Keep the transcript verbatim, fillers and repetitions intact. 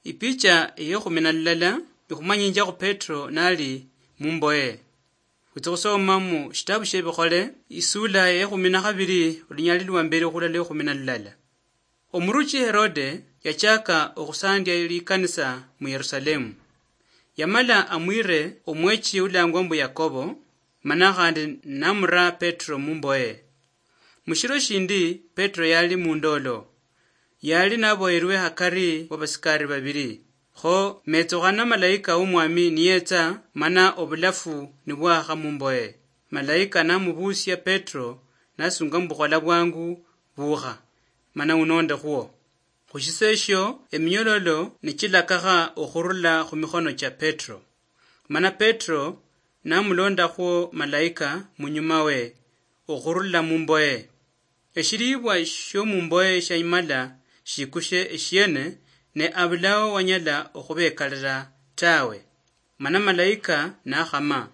Ipicha eyekhumi na lulala ikhumanyinjakho Petro nali mumboye. Khwitsa khusoma mu shitabu shie Bikhole, isula eyekhumi na khabili, olunyali lwa mbili khulala ekhumi na lulala. Omuruchi Herode yachaka okhusandia likanisa mu Yerusalemu. Yamala amwire omwechi ulangwa mbu Yakobo, mana khandi namura Petro mumboye. Mushiro shindi Petro yali mundolo. Yali naboyerwe hakari wa basikari babili. Kho metsukhana malaika womwami niyetsa, mana obulafu nibwakha mumboye. Malaika namubusia Petro, nasunga mbu khola bwangu, bukha, mana unonde khwo. Khushiseshio eminyololo nichilakakha okhurula khumikhono chia Petro. Mana Petro namulondakhwo malaika munyuma we okhurula mumboye. Eshilibwa shiomumboye shiamala shikushe eshiene, ne abulao wanyala okhubekalira tawe. Mana malaika nakhama,